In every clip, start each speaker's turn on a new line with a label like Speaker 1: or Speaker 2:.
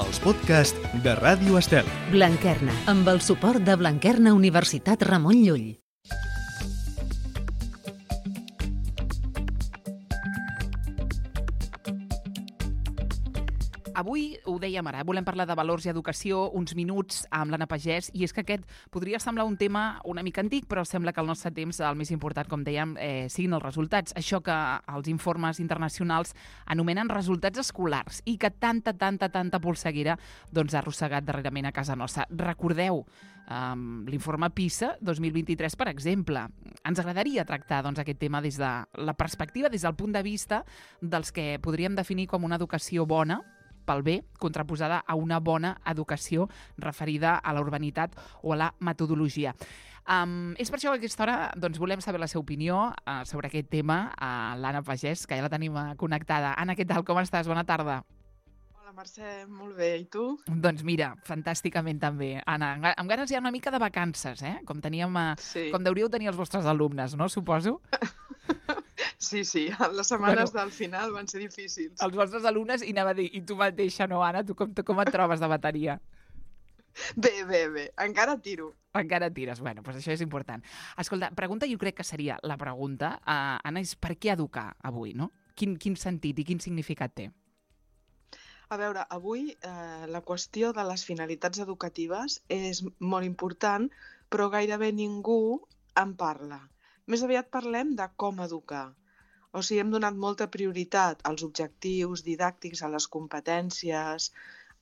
Speaker 1: els podcasts de Ràdio Estel.
Speaker 2: Blanquerna, amb el suport de Blanquerna Universitat Ramon Llull.
Speaker 3: Avui, ho dèiem ara, volem parlar de valors i educació, uns minuts amb l'Anna Pagès, i és que aquest podria semblar un tema una mica antic, però sembla que al nostre temps el més important, com dèiem, siguin els resultats. Això que els informes internacionals anomenen resultats escolars i que tanta polseguera ha arrossegat darrerament a casa nostra. Recordeu l'informe PISA 2023, per exemple. Ens agradaria tractar aquest tema des de la perspectiva, des del punt de vista dels que podríem definir com una educació bona, pel bé, contraposada a una bona educació referida a la urbanitat o a la metodologia. És per això que a aquesta hora volem saber la seva opinió sobre aquest tema a l'Anna Pagès, que ja la tenim connectada. Anna, què tal? Com estàs? Bona tarda.
Speaker 4: Hola, Mercè, molt bé. I tu?
Speaker 3: Doncs mira, fantàsticament també. Anna, amb ganes ja una mica de vacances, com teníem, com deuríeu tenir els vostres alumnes, no? Suposo.
Speaker 4: Sí, les setmanes del final van ser difícils.
Speaker 3: Els vostres alumnes, i anava a dir, i tu mateixa, no, Anna? Tu com et trobes de bateria?
Speaker 4: Bé. Encara tiro.
Speaker 3: Encara tires. Bueno, doncs això és important. Escolta, pregunta, jo crec que seria la pregunta, Anna, és per què educar avui, no? Quin sentit i quin significat té?
Speaker 4: A veure, avui la qüestió de les finalitats educatives és molt important, però gairebé ningú en parla. Més aviat parlem de com educar. O sigui, hem donat molta prioritat als objectius didàctics, a les competències,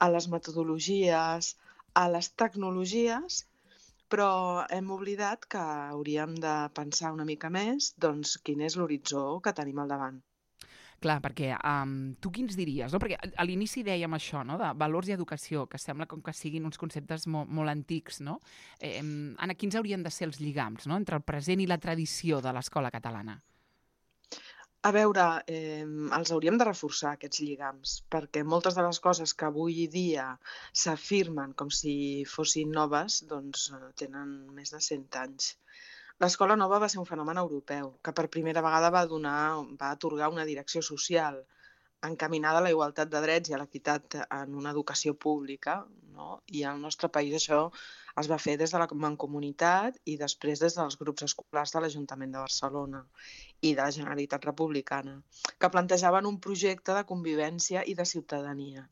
Speaker 4: a les metodologies, a les tecnologies, però hem oblidat que hauríem de pensar una mica més quin és l'horitzó que tenim al davant.
Speaker 3: Clar, perquè tu quins diries? No? Perquè a l'inici dèiem això, no? De valors i educació, que sembla com que siguin uns conceptes molt antics, no? Anna, quins haurien de ser els lligams, no? Entre el present i la tradició de l'escola catalana?
Speaker 4: A veure, els hauríem de reforçar, aquests lligams, perquè moltes de les coses que avui dia s'afirmen com si fossin noves, tenen més de 100 anys. L'escola nova va ser un fenomen europeu, que per primera vegada va atorgar una direcció social encaminada a la igualtat de drets i a l'equitat en una educació pública, no? I al nostre país això es va fer des de la Mancomunitat i després des dels grups escolars de l'Ajuntament de Barcelona i de la Generalitat Republicana, que plantejaven un projecte de convivència i de ciutadania.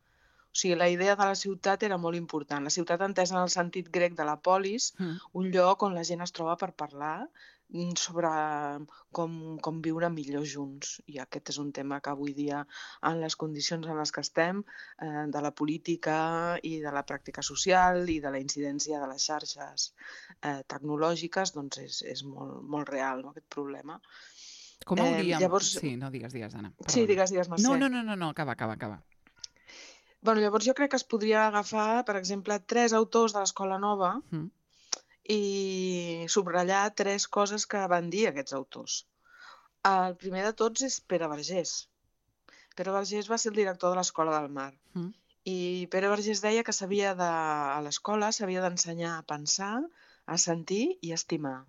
Speaker 4: O sigui, la idea de la ciutat era molt important. La ciutat entesa en el sentit grec de la polis, un lloc on la gent es troba per parlar sobre com viure millor junts. I aquest és un tema que avui dia, en les condicions en les que estem, de la política i de la pràctica social i de la incidència de les xarxes tecnològiques, és molt real, no, aquest problema.
Speaker 3: Com hauríem... Llavors... Sí, no, digues, Anna. Perdona.
Speaker 4: Sí, digues, Mercè.
Speaker 3: No, acaba.
Speaker 4: Llavors jo crec que es podria agafar, per exemple, 3 autors de l'Escola Nova i subratllar 3 coses que van dir aquests autors. El primer de tots és Pere Vergés. Pere Vergés va ser el director de l'Escola del Mar. I Pere Vergés deia que a l'escola s'havia d'ensenyar a pensar, a sentir i a estimar.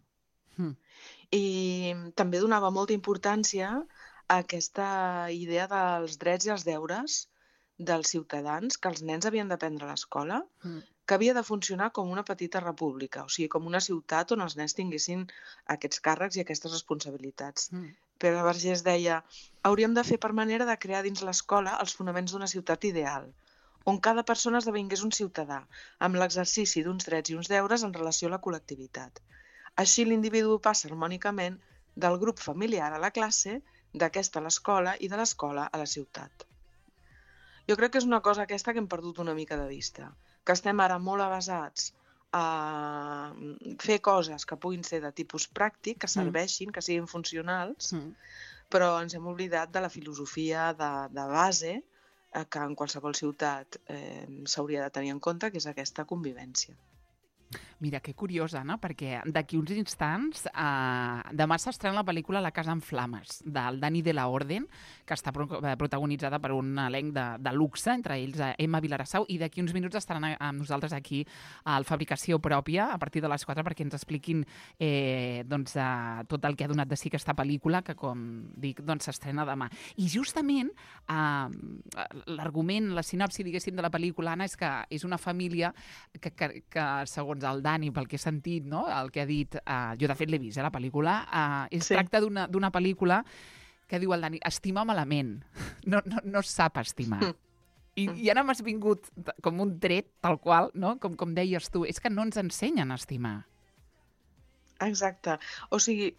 Speaker 4: I també donava molta importància a aquesta idea dels drets i els deures dels ciutadans que els nens havien d'aprendre a l'escola, que havia de funcionar com una petita república, o sigui, com una ciutat on els nens tinguessin aquests càrrecs i aquestes responsabilitats. Pere Vergés deia: hauríem de fer per manera de crear dins l'escola els fonaments d'una ciutat ideal, on cada persona esdevingués un ciutadà, amb l'exercici d'uns drets i uns deures en relació a la col·lectivitat. Així l'individu passa harmònicament del grup familiar a la classe, d'aquesta a l'escola i de l'escola a la ciutat. Jo crec que és una cosa aquesta que hem perdut una mica de vista, que estem ara molt avesats a fer coses que puguin ser de tipus pràctic, que serveixin, que siguin funcionals, però ens hem oblidat de la filosofia de base que en qualsevol ciutat s'hauria de tenir en compte, que és aquesta convivència.
Speaker 3: Mira, que curiós, Anna, perquè d'aquí uns instants demà s'estrena la pel·lícula La casa en flames, del Dani de la Orden, que està protagonitzada per un elenc de luxe, entre ells Emma Vilarassau, i d'aquí uns minuts estaran amb nosaltres aquí al Fabricació Pròpia, a partir de les 4, perquè ens expliquin tot el que ha donat de si aquesta pel·lícula, que, com dic, s'estrena demà. I justament l'argument, la sinopsi, diguéssim, de la pel·lícula, Anna, és que és una família que segons el Dani, pel que he sentit, no? El que ha dit, jo de fet l'he vist, la pel·lícula, tracta d'una pel·lícula que diu el Dani, estima malament, no sap estimar. I ara m'has vingut com un tret, tal qual, no? Com deies tu, és que no ens ensenyen a estimar.
Speaker 4: Exacte. O sigui,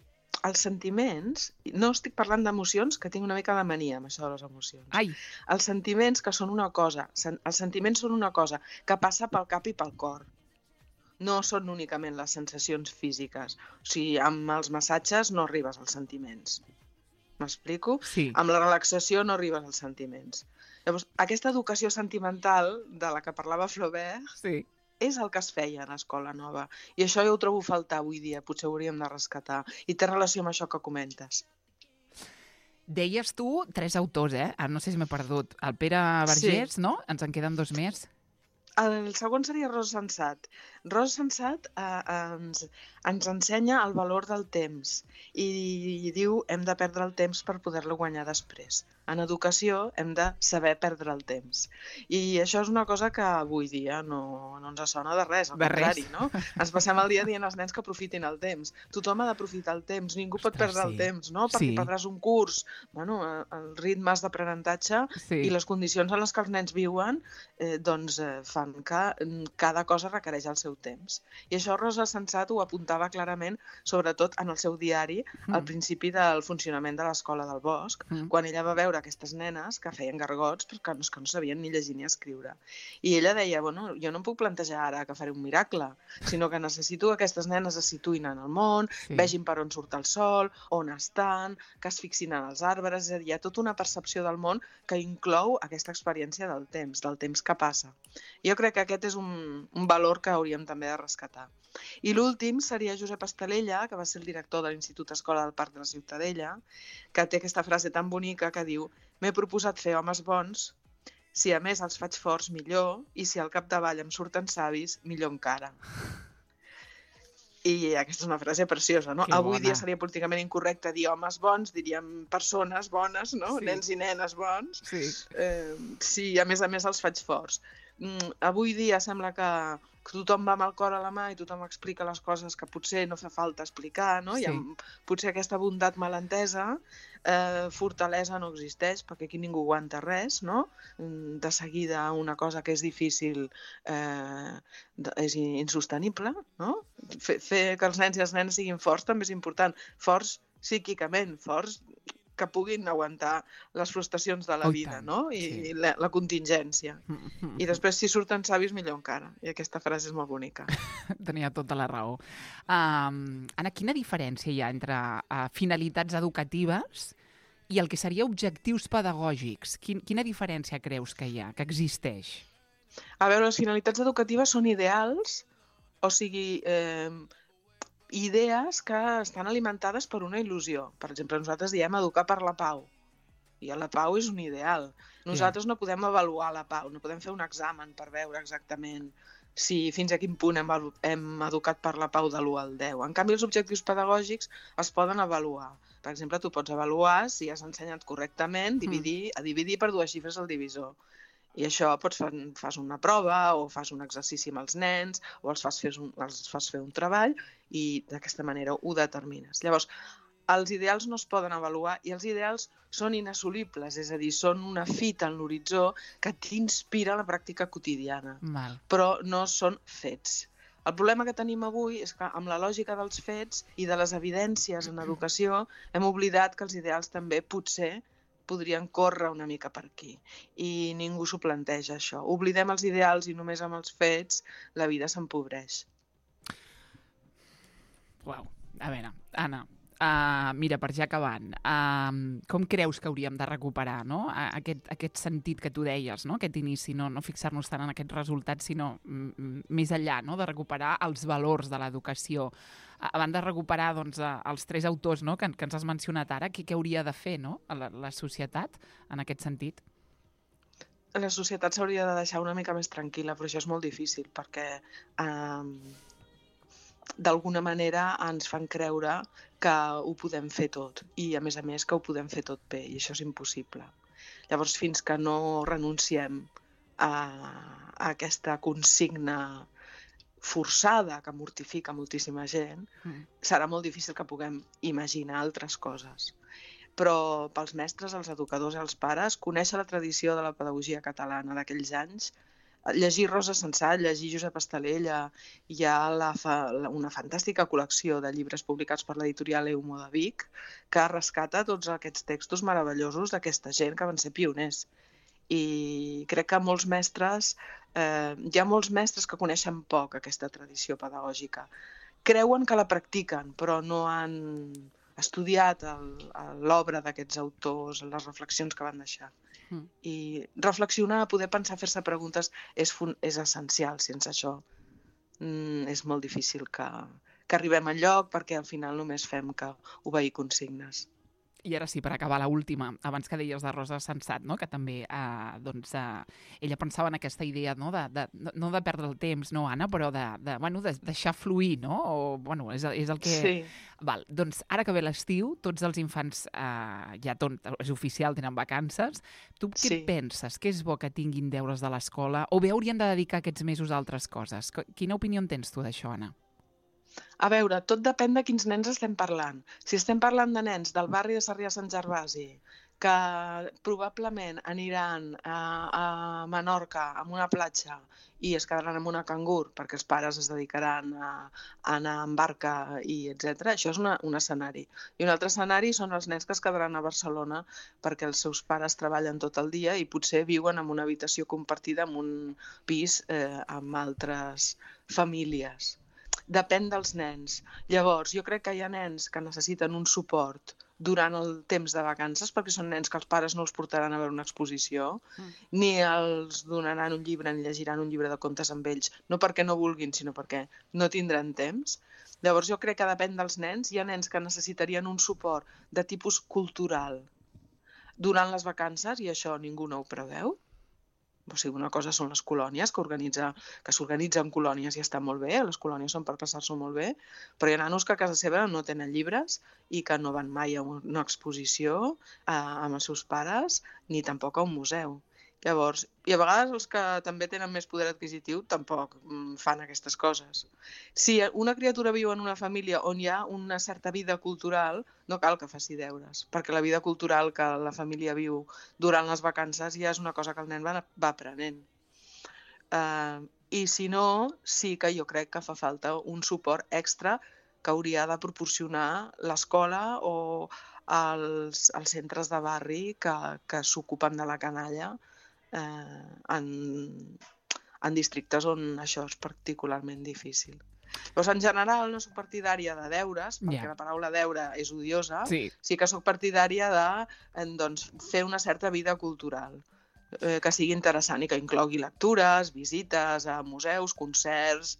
Speaker 4: els sentiments, no estic parlant d'emocions, que tinc una mica de mania amb això de les emocions.
Speaker 3: Ai.
Speaker 4: Els sentiments que són una cosa, els sentiments són una cosa que passa pel cap i pel cor. No són únicament les sensacions físiques. O sigui, amb els massatges no arribes als sentiments. M'explico?
Speaker 3: Sí.
Speaker 4: Amb la relaxació no arribes als sentiments. Llavors, aquesta educació sentimental de la que parlava Flaubert,
Speaker 3: sí,
Speaker 4: és el que es feia a l'Escola Nova. I això jo ho trobo a faltar avui dia, potser ho hauríem de rescatar. I té relació amb això que comentes.
Speaker 3: Deies tu 3 autors, no sé si m'he perdut. El Pere Vergés, sí, no? Ens en queden 2 més.
Speaker 4: El segon seria Rosa Sensat. Rosa Sensat ens ensenya el valor del temps i diu hem de perdre el temps per poder-lo guanyar després. En educació hem de saber perdre el temps. I això és una cosa que avui dia no ens sona de res, al contrari, no? Ens passem el dia dient als nens que aprofitin el temps. Tothom ha d'aprofitar el temps, ningú pot perdre el temps, no? Perquè perdràs un curs. Bueno, els ritmes d'aprenentatge i les condicions en les que els nens viuen fan que cada cosa requereix el seu temps. I això Rosa Sensat ho apuntava clarament, sobretot en el seu diari, al principi del funcionament de l'Escola del Bosc, quan ella va veure aquestes nenes que feien gargots perquè no sabien ni llegir ni escriure. I ella deia, bueno, jo no em puc plantejar ara que faré un miracle, sinó que necessito que aquestes nenes es situïn en el món, vegin per on surt el sol, on estan, que es fixin en els arbres, és a dir, hi ha tota una percepció del món que inclou aquesta experiència del temps que passa. Jo crec que aquest és un valor que hauríem també de rescatar. I l'últim seria Josep Estalella, que va ser el director de l'Institut Escola del Parc de la Ciutadella, que té aquesta frase tan bonica que diu «M'he proposat fer homes bons, si a més els faig forts millor i si al capdavall em surten savis, millor encara». I aquesta és una frase preciosa, no? Avui dia seria políticament incorrecte dir homes bons, diríem persones bones, no? Nens i nenes bons. Si a més els faig forts. Avui dia sembla que tothom va amb el cor a la mà i tothom explica les coses que potser no fa falta explicar, no? I potser aquesta bondat malentesa, fortalesa no existeix, perquè aquí ningú aguanta res, no? De seguida una cosa que és difícil és insostenible, no? Fer que els nens i les nenes siguin forts també és important. Forts psíquicament, forts que puguin aguantar les frustracions de la vida, no? I la contingència. I després, si surten savis, millor encara. I aquesta frase és molt bonica.
Speaker 3: Tenia tota la raó. Anna, quina diferència hi ha entre finalitats educatives i el que seria objectius pedagògics? Quina diferència creus que hi ha, que existeix?
Speaker 4: A veure, les finalitats educatives són ideals, o sigui, idees que estan alimentades per una il·lusió. Per exemple, nosaltres diem educar per la pau. I la pau és un ideal. Nosaltres no podem avaluar la pau, no podem fer un examen per veure exactament si fins a quin punt hem educat per la pau de l'1 al 10. En canvi, els objectius pedagògics es poden avaluar. Per exemple, tu pots avaluar si has ensenyat correctament a dividir per 2 xifres al divisor. I això fas una prova o fas un exercici amb els nens o els fas fer un treball i d'aquesta manera ho determines. Llavors, els ideals no es poden avaluar i els ideals són inassolibles, és a dir, són una fita en l'horitzó que t'inspira a la pràctica quotidiana, però no són fets. El problema que tenim avui és que amb la lògica dels fets i de les evidències en educació hem oblidat que els ideals també potser podrien córrer una mica per aquí. I ningú s'ho planteja, això. Oblidem els ideals i només amb els fets la vida s'empobreix.
Speaker 3: Uau. A veure, Anna, Mira, per ja acabant, com creus que hauríem de recuperar, no? Aquest sentit que tu deies, no? Aquest inici, no fixar-nos tant en aquests resultats, sinó més enllà, no? De recuperar els valors de l'educació. Abans de recuperar doncs, els 3 autors, no? que ens has mencionat ara, què hauria de fer, no? La societat en aquest sentit?
Speaker 4: La societat s'hauria de deixar una mica més tranquil·la, però això és molt difícil perquè d'alguna manera ens fan creure que ho podem fer tot i, a més, que ho podem fer tot bé, i això és impossible. Llavors, fins que no renunciem a aquesta consigna forçada que mortifica moltíssima gent, serà molt difícil que puguem imaginar altres coses. Però pels mestres, els educadors i els pares, conèixer la tradició de la pedagogia catalana d'aquells anys, llegir Rosa Sensat, llegir Josep Estalella, hi ha una fantàstica col·lecció de llibres publicats per l'editorial Eumo de Vic que rescata tots aquests textos meravellosos d'aquesta gent que van ser pioners. I crec que molts mestres, hi ha molts mestres que coneixen poc aquesta tradició pedagògica. Creuen que la practiquen, però no han estudiat l'obra d'aquests autors, les reflexions que van deixar. I reflexionar, poder pensar, fer-se preguntes és essencial. Sense això és molt difícil que arribem enlloc, perquè al final només fem que obeir consignes.
Speaker 3: I ara sí, per acabar, la última, abans que deies de Rosa Sensat, no? Que també ella pensava en aquesta idea, no de perdre el temps, no, Anna, però de deixar fluir, no? És el que...
Speaker 4: Sí.
Speaker 3: Val, doncs ara que ve l'estiu, tots els infants ja és oficial, tenen vacances. Tu què penses? Què és bo que tinguin deures de l'escola? O bé haurien de dedicar aquests mesos a altres coses? Quina opinió en tens tu d'això, Anna?
Speaker 4: A veure, tot depèn de quins nens estem parlant. Si estem parlant de nens del barri de Sarrià-Sant Gervasi, que probablement aniran a Menorca, a una platja, i es quedaran en una cangur, perquè els pares es dedicaran a anar en barca, etc. Això és un escenari. I un altre escenari són els nens que es quedaran a Barcelona perquè els seus pares treballen tot el dia i potser viuen en una habitació compartida en un pis amb altres famílies. Depèn dels nens. Llavors, jo crec que hi ha nens que necessiten un suport durant el temps de vacances, perquè són nens que els pares no els portaran a veure una exposició, ni els donaran un llibre ni llegiran un llibre de contes amb ells, no perquè no vulguin, sinó perquè no tindran temps. Llavors, jo crec que depèn dels nens. Hi ha nens que necessitarien un suport de tipus cultural durant les vacances, i això ningú no ho preveu. O sigui, una cosa són les colònies, que s'organitzen colònies i està molt bé, les colònies són per passar-s'ho molt bé, però hi ha nanos que a casa seva no tenen llibres i que no van mai a una exposició amb els seus pares, ni tampoc a un museu. Llavors, i a vegades els que també tenen més poder adquisitiu tampoc fan aquestes coses. Si una criatura viu en una família on hi ha una certa vida cultural, no cal que faci deures, perquè la vida cultural que la família viu durant les vacances ja és una cosa que el nen va aprenent. I si no, sí que jo crec que fa falta un suport extra que hauria de proporcionar l'escola o els centres de barri que s'ocupen de la canalla en districtes on això és particularment difícil. Llavors, en general, no soc partidària de deures, perquè la paraula deure és odiosa. Sí que soc partidària de fer una certa vida cultural, que sigui interessant i que inclogui lectures, visites a museus, concerts,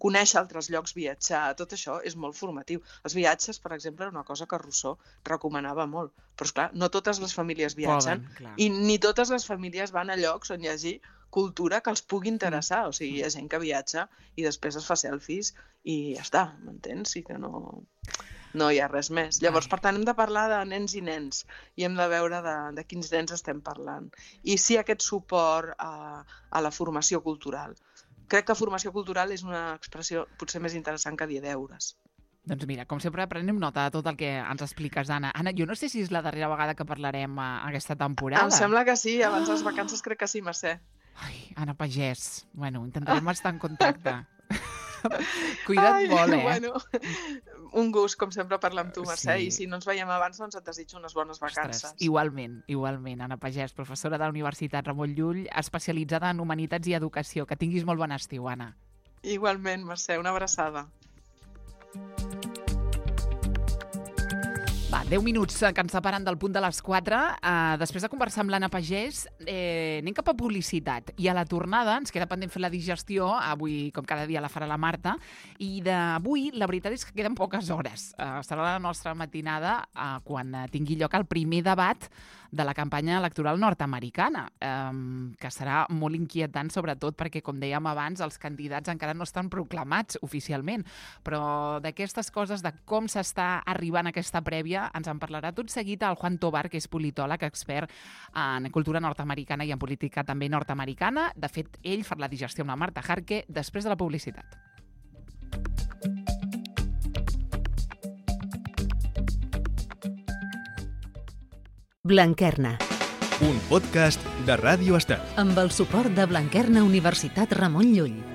Speaker 4: conèixer altres llocs, viatjar. Tot això és molt formatiu. Els viatges, per exemple, era una cosa que Rousseau recomanava molt. Però, esclar, no totes les famílies viatgen i ni totes les famílies van a llocs on hi hagi cultura que els pugui interessar. O sigui, hi ha gent que viatja i després es fa selfies i ja està, m'entens? I que no hi ha res més. Llavors, per tant, hem de parlar de nens i nens i hem de veure de quins nens estem parlant. I sí, aquest suport a la formació cultural. Crec que formació cultural és una expressió potser més interessant que dir deures.
Speaker 3: Doncs mira, com sempre, prenem nota de tot el que ens expliques, Anna. Anna, jo no sé si és la darrera vegada que parlarem aquesta temporada.
Speaker 4: Em sembla que sí, abans de les vacances crec que sí, Mercè.
Speaker 3: Ai, Anna Pagès. Bueno, intentarem estar en contacte. Cuida't molt,
Speaker 4: Bueno, un gust, com sempre, parlar amb tu, Mercè, i si no ens veiem abans, doncs et desitjo unes bones vacances.
Speaker 3: Ostres, igualment, Anna Pagès, professora de la Universitat Ramon Llull, especialitzada en Humanitats i Educació. Que tinguis molt bon estiu, Anna.
Speaker 4: Igualment, Mercè, una abraçada.
Speaker 3: Va, 10 minuts que ens separen del punt de les 4. Després de conversar amb l'Anna Pagès, anem cap a publicitat. I a la tornada ens queda pendent fer la digestió. Avui, com cada dia, la farà la Marta. I d'avui, la veritat és que queden poques hores. Serà la nostra matinada quan tingui lloc el primer debat de la campanya electoral nord-americana, que serà molt inquietant, sobretot perquè, com dèiem abans, els candidats encara no estan proclamats oficialment. Però d'aquestes coses, de com s'està arribant a aquesta prèvia, ens en parlarà tot seguit el Juan Tobar, que és politòleg, expert en cultura nord-americana i en política també nord-americana. De fet, ell fa la digestió amb la Marta Jarque després de la publicitat.
Speaker 2: Blanquerna,
Speaker 1: un podcast de Ràdio Estel.
Speaker 2: amb el suport de Blanquerna Universitat Ramon Llull.